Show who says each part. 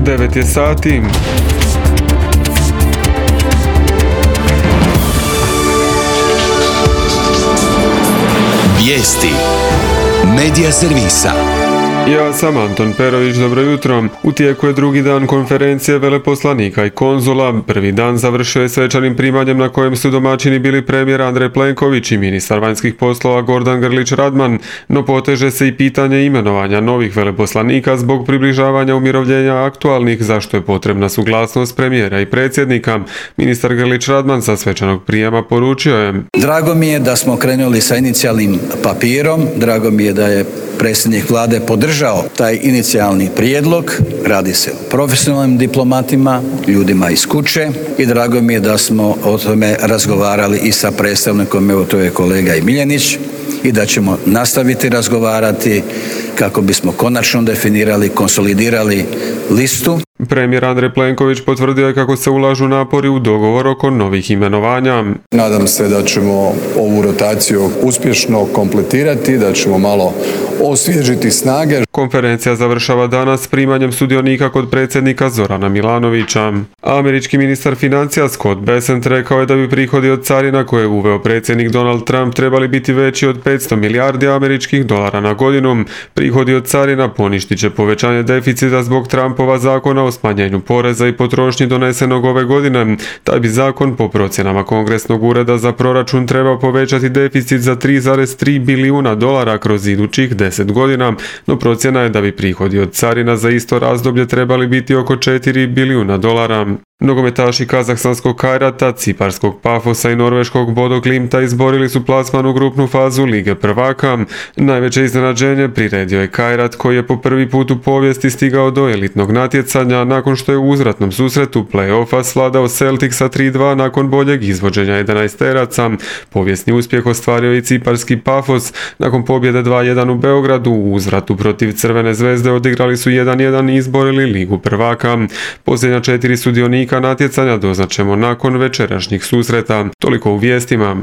Speaker 1: 9 je sati.
Speaker 2: Vijesti Medija servisa.
Speaker 1: Ja sam Anton Perović, dobro jutro. U tijeku je drugi dan konferencije veleposlanika i konzula. Prvi dan završio je svečanim primanjem na kojem su domaćini bili premijer Andrej Plenković i ministar vanjskih poslova Gordan Grlić Radman, no poteže se i pitanje imenovanja novih veleposlanika zbog približavanja umirovljenja aktualnih, zašto je potrebna suglasnost premijera i predsjednika. Ministar Grlić Radman sa svečanog prijema poručio je:
Speaker 3: Drago mi je da smo krenuli sa inicijalnim papirom, drago mi je da je predsjednik vlade podržao taj inicijalni prijedlog, radi se o profesionalnim diplomatima, ljudima iz kuće i drago mi je da smo o tome razgovarali i sa predstavnikom, evo to je kolega i Miljenić, i da ćemo nastaviti razgovarati kako bismo konačno definirali, konsolidirali listu.
Speaker 1: Premijer Andrej Plenković potvrdio je kako se ulažu napori u dogovor oko novih imenovanja.
Speaker 4: Nadam se da ćemo ovu rotaciju uspješno kompletirati, da ćemo malo osvježiti snage.
Speaker 1: Konferencija završava danas primanjem sudionika kod predsjednika Zorana Milanovića. Američki ministar financija Scott Bessent rekao je da bi prihodi od carina koje je uveo predsjednik Donald Trump trebali biti veći od 500 milijardi američkih dolara na godinu. Prihodi od carina poništit će povećanje deficita zbog Trumpova zakona o smanjenju poreza i potrošnji donesenog ove godine. Taj bi zakon po procjenama Kongresnog ureda za proračun trebao povećati deficit za 3,3 bilijuna dolara kroz idućih 10 godina, no procjena je da bi prihodi od carina za isto razdoblje trebali biti oko 4 bilijuna dolara. Nogometaši kazahstanskog Kajrata, ciparskog Pafosa i norveškog Bodo Glimta izborili su plasman u grupnu fazu Lige prvaka. Najveće iznenađenje priredio je Kajrat, koji je po prvi put u povijesti stigao do elitnog natjecanja nakon što je u uzvratnom susretu play-offa svladao Celticsa 3-2 nakon boljeg izvođenja 11-teraca. Povijesni uspjeh ostvario i ciparski Pafos. Nakon pobjede 2-1 u Beogradu u uzvratu protiv Crvene zvezde odigrali su 1-1 i izborili Ligu prvaka. Posljednja 4 sudionika natjecanja doznaćemo nakon večerašnjih susreta. Toliko u vijestima.